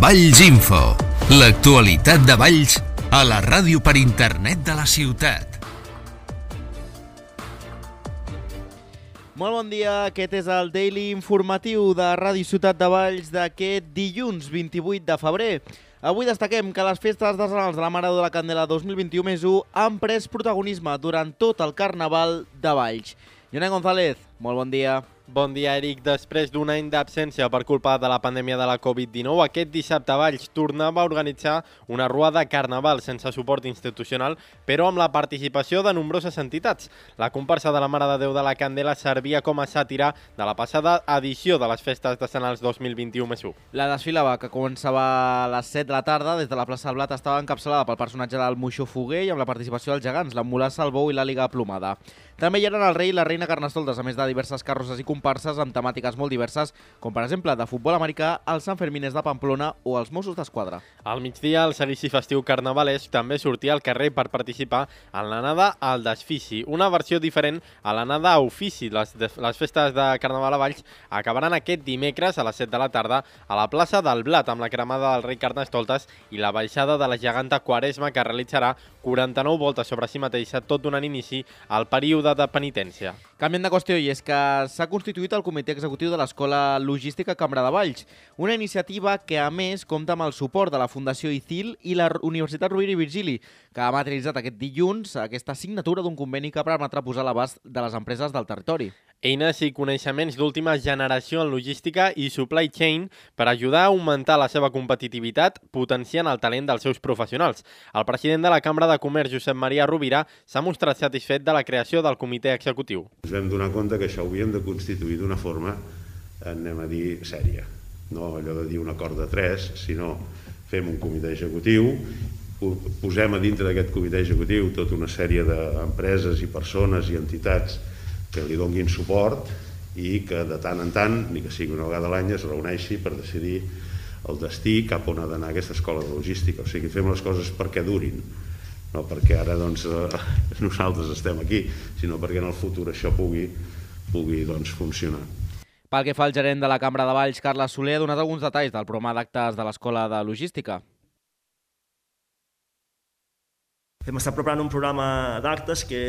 Valls Info, l'actualitat de Valls a la ràdio per internet de la ciutat. Molt bon dia, aquest és el Daily Informatiu de Ràdio Ciutat de Valls d'aquest dilluns 28 de febrer. Avui destaquem que les festes artesanals de la Mare de la Candela 2021+1 han pres protagonisme durant tot el Carnaval de Valls. Joan González, molt bon dia. Bon dia, Eric. Després d'un any d'absència per culpa de la pandèmia de la Covid-19, aquest dissabte Valls tornava a organitzar una rua de carnaval sense suport institucional, però amb la participació de nombroses entitats. La comparsa de la Mare de Déu de la Candela servia com a sàtira de la passada edició de les festes artesanals 2021+1. La desfilada, que començava a les 7 de la tarda, des de la plaça del Blat, estava encapçalada pel personatge del Moixó Foguer i amb la participació dels gegants, la Mulassa, el Bou i la Liga Plomada. També hi eren el rei i la reina Carnestoltes, a més de diverses carrosses i comparses amb temàtiques molt diverses, com per exemple de futbol americà, els Sanfermines de Pamplona o els Mossos d'Esquadra. Al migdia, el seguici festiu carnavalesc també sortia al carrer per participar en l'anada al desfici, una versió diferent a l'anada a ofici. Les festes de Carnaval a Valls acabaran aquest dimecres a les 7 de la tarda a la plaça del Blat amb la cremada del rei Carnestoltes i la baixada de la geganta Quaresma, que realitzarà 49 voltes sobre si mateixa, tot donant inici al període de penitència. Canviant de qüestió, i és que s'ha constituït el Comitè Executiu de l'Escola Logística Cambra de Valls, una iniciativa que, a més, compta amb el suport de la Fundació ICIL i la Universitat Rovira i Virgili, que ha materialitzat aquest dilluns aquesta signatura d'un conveni que permetrà posar a l'abast de les empreses del territori. Eines i coneixements d'última generació en logística i supply chain per ajudar a augmentar la seva competitivitat, potenciant el talent dels seus professionals. El president de la Cambra de Comerç, Josep Maria Rovira, s'ha mostrat satisfet de la creació del comitè executiu. Ens vam donar compte que això ho havíem de constituir d'una forma, anem a dir, sèria. No allò de dir un acord de 3, sinó fem un comitè executiu, posem a dintre d'aquest comitè executiu tota una sèrie d'empreses i persones i entitats que li donguin suport i que de tant en tant, ni que sigui una vegada a l'any, es reuneixi per decidir el destí cap on ha d'anar aquesta escola de logística. O sigui, fem les coses perquè durin, no perquè ara nosaltres estem aquí, sinó perquè en el futur això pugui funcionar. Pel que fa al gerent de la Cambra de Valls, Carles Soler, ha donat alguns detalls del programa d'actes de l'Escola de Logística. Hem estat preparant un programa d'actes que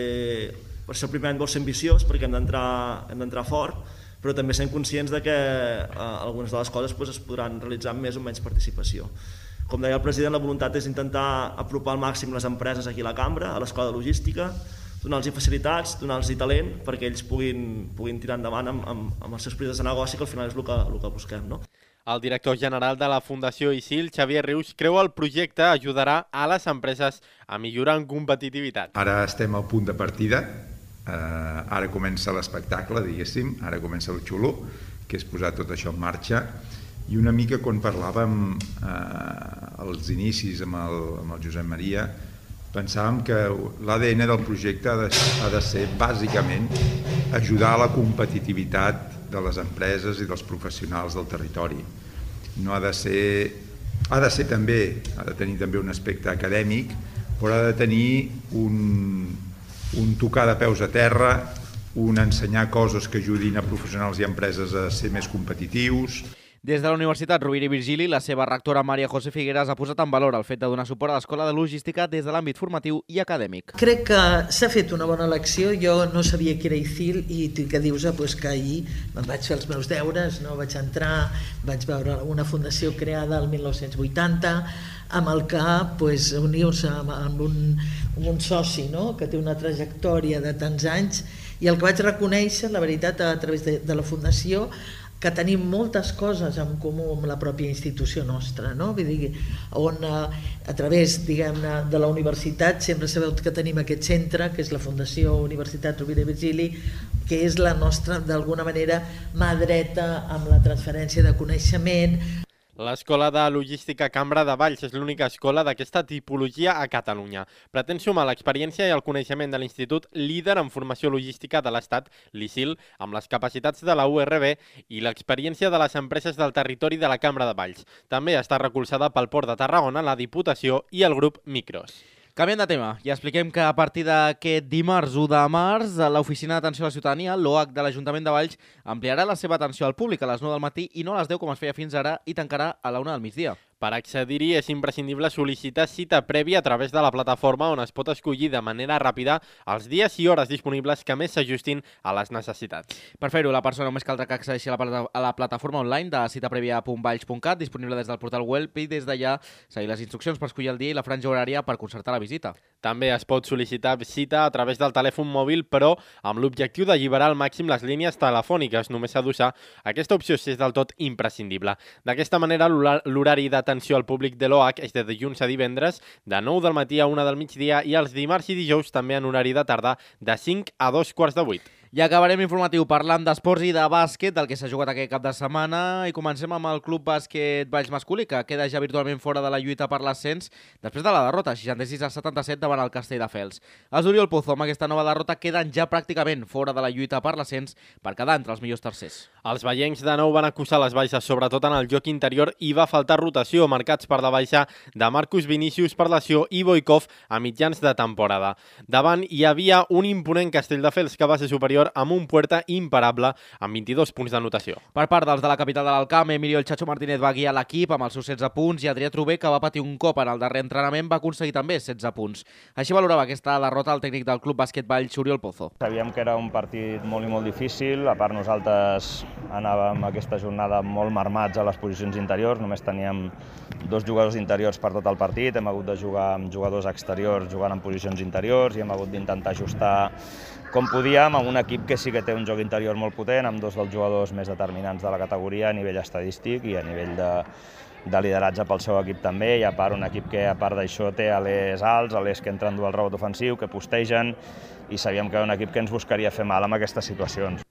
per ser el primer any vol ser ambiciós perquè hem d'entrar fort, però també sent conscients de que algunes de les coses es podran realitzar amb més o menys participació. Com deia el president, la voluntat és intentar apropar al màxim les empreses aquí a la Cambra, a l'Escola de Logística, donar-los facilitats, donar-los talent perquè ells puguin tirar endavant amb els seus projectes de negoci, que al final és el que busquem, no? El director general de la Fundació ICIL, Xavier Rius, creu el projecte ajudarà a les empreses a millorar en competitivitat. Ara estem al punt de partida, ara comença l'espectacle, diguéssim, ara comença el xulo, que és posar tot això en marxa, i una mica quan parlàvem als inicis amb el Josep Maria, pensàvem que l'ADN del projecte ha de ser bàsicament ajudar a la competitivitat de les empreses i dels professionals del territori. No ha de tenir també un aspecte acadèmic, però ha de tenir un tocar de peus a terra, un ensenyar coses que ajudin a professionals i empreses a ser més competitius. Des de la Universitat Rovira i Virgili, la seva rectora Maria José Figueras ha posat en valor el fet de donar suport a l'Escola de Logística des de l'àmbit formatiu i acadèmic. Crec que s'ha fet una bona elecció. Jo no sabia que era ICIL i que dius que ahir me'n vaig fer els meus deures, no? Vaig entrar, vaig veure una fundació creada el 1980 amb el que unir-se amb un soci, no? Que té una trajectòria de tants anys, i el que vaig reconèixer, la veritat, a través de la fundació, que tenim moltes coses en comú amb la pròpia institució nostra, no? Vull dir, on a través, diguem-ne, de la universitat sempre sabeu que tenim aquest centre, que és la Fundació Universitat Rovira i Virgili, que és la nostra, d'alguna manera, mà dreta amb la transferència de coneixement. L'Escola de Logística Cambra de Valls és l'única escola d'aquesta tipologia a Catalunya. Pretén sumar l'experiència i el coneixement de l'Institut líder en formació logística de l'Estat, l'ICIL, amb les capacitats de la URB i l'experiència de les empreses del territori de la Cambra de Valls. També està recolzada pel Port de Tarragona, la Diputació i el grup Micros. Canviant de tema, ja expliquem que a partir d'aquest dimarts 1 de març, l'Oficina d'Atenció a la Ciutadania, l'OAC de l'Ajuntament de Valls, ampliarà la seva atenció al públic a les 9 del matí i no a les 10 com es feia fins ara i tancarà a la 1 del migdia. Per accedir-hi és imprescindible sol·licitar cita prèvia a través de la plataforma on es pot escollir de manera ràpida els dies i hores disponibles que més s'ajustin a les necessitats. Per fer-ho, la persona només caldrà que accedeixi a la plataforma online de citaprevia.valls.cat, disponible des del portal web, i des d'allà seguir les instruccions per escollir el dia i la franja horària per concertar la visita. També es pot sol·licitar cita a través del telèfon mòbil, però amb l'objectiu d'alliberar al màxim les línies telefòniques. Només s'ha d'usar aquesta opció si és del tot imprescindible. D'aquesta manera, l'horari d'atenció al públic de l'OH és de dilluns a divendres, de 9 del matí a 1 del migdia, i els dimarts i dijous també en horari de tarda, de 5 a 2:15. I acabarem l'informatiu parlant d'esports i de bàsquet, del que s'ha jugat aquest cap de setmana, i comencem amb el Club Bàsquet Valls masculí, que queda ja virtualment fora de la lluita per l'ascens després de la derrota, 66-77 davant el Castelldefels. Els Oriol Pozo, amb aquesta nova derrota, queden ja pràcticament fora de la lluita per l'ascens per quedar entre els millors tercers. Els veiencs de nou van acusar les baixes, sobretot en el joc interior, i va faltar rotació, marcats per la baixa de Marcus Vinícius per lesió i Boikov a mitjans de temporada. Davant hi havia un imponent Castelldefels que va ser superior amb un Puerta imparable amb 22 punts d'anotació. Per part dels de la capital de l'Alcamp, Emilio el Chacho Martínez va guiar l'equip amb els seus 16 punts i Adrià Trubé, que va patir un cop en el darrer entrenament, va aconseguir també 16 punts. Així valorava aquesta derrota el tècnic del Club Bàsquet Valls, Oriol Pozo. Sabíem que era un partit molt i molt difícil, a part nosaltres anàvem aquesta jornada molt marmats a les posicions interiors, només teníem 2 jugadors interiors per tot el partit, hem hagut de jugar amb jugadors exteriors jugant en posicions interiors i hem hagut d'intentar ajustar com podíem amb un equip que sí que té un joc interior molt potent, amb 2 dels jugadors més determinants de la categoria a nivell estadístic i a nivell de lideratge pel seu equip també, i a part un equip que a part d'això té alers alts, alers que entren dur el rebot ofensiu, que postegen, i sabíem que era un equip que ens buscaria fer mal amb aquestes situacions.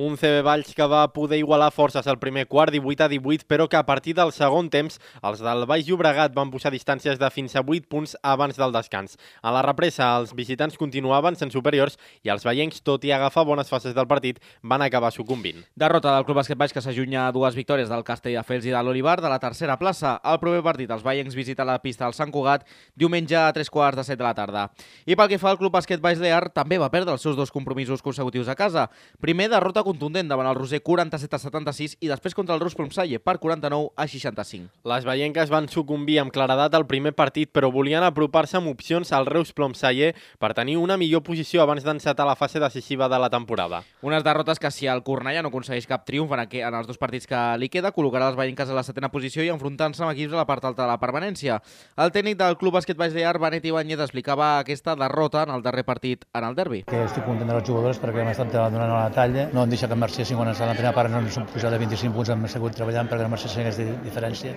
Un CB Valls que va poder igualar forces al primer quart, 18-18, però que a partir del segon temps els del Baix Llobregat van posar distàncies de fins a 8 punts abans del descans. A la represa, els visitants continuaven sent superiors i els veiencs, tot i agafar bones fases del partit, van acabar sucumbint. Derrota del Club Bàsquet Valls, que s'allunya a 2 victòries del Castelldefels i de l'Olivar de la tercera plaça. El proper partit, els veiencs visiten la pista del Sant Cugat diumenge a 3:15 de la tarda. I pel que fa al Club Bàsquet Valls Lear, també va perdre els seus 2 compromisos consecutius a casa. Primer, derrota contundent davant el Roser 47-76 i després contra el Rus Plomsalle per 49-65. Les veienques van sucumbir amb claredat al primer partit, però volien apropar-se amb opcions al Reus Plomsalle per tenir una millor posició abans d'encetar la fase decisiva de la temporada. Unes derrotes que, si el Cornellà no aconsegueix cap triomf en els 2 partits que li queda, col·locarà les veienques a la 7ª posició i enfrontant-se amb equips a la part alta de la permanència. El tècnic del Club Bàsquet Valls Lear, Benet Ibáñez, explicava aquesta derrota en el darrer partit en el derbi. Que estic content dels jugadors perquè hem estat donant a la talla, no em deixa que marxessin quan a la primera part no ens hem posat de 25 punts, hem seguit treballant perquè no marxessin aquesta diferència,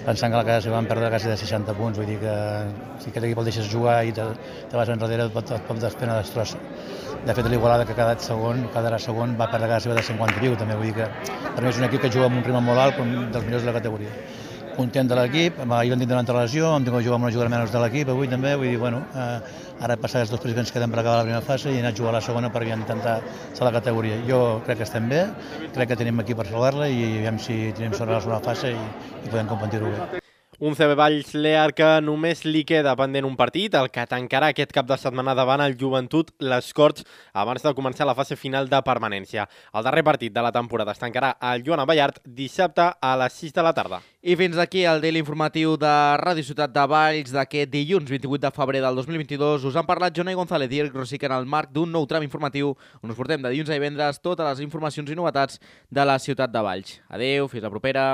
pensant que a la casa s'hi van perdre quasi de 60 punts, vull dir que si aquest equip el deixes jugar i te vas enrere et pot desfer una destrossa. De fet, l'Igualada, que quedarà segon, va perdre casa seva de 50 i piu, també, vull dir que per mi és un equip que juga amb un ritme molt alt, dels millors de la categoria. Content de l'equip, ahir vam tindre una altra lesió, hem tingut que jugar amb una jugadora menys de l'equip avui també, vull dir, bueno, ara passar els 2 partits que ens queden per acabar la primera fase i anar a jugar a la segona per intentar ser la categoria. Jo crec que estem bé, crec que tenim aquí per salvar-la i aviam si tenim sort a la segona fase i podem competir-ho bé. Un CB Valls Lear que només li queda pendent un partit, el que tancarà aquest cap de setmana davant el Joventut Les Corts abans de començar la fase final de permanència. El darrer partit de la temporada es tancarà al Joan Abellart dissabte a les 6 de la tarda. I fins aquí el daily informatiu de Ràdio Ciutat de Valls d'aquest dilluns 28 de febrer del 2022. Us han parlat Jonai González i Eric Rosic en el marc d'un nou tram informatiu on us portem de dilluns a divendres totes les informacions i novetats de la Ciutat de Valls. Adeu, fins la propera.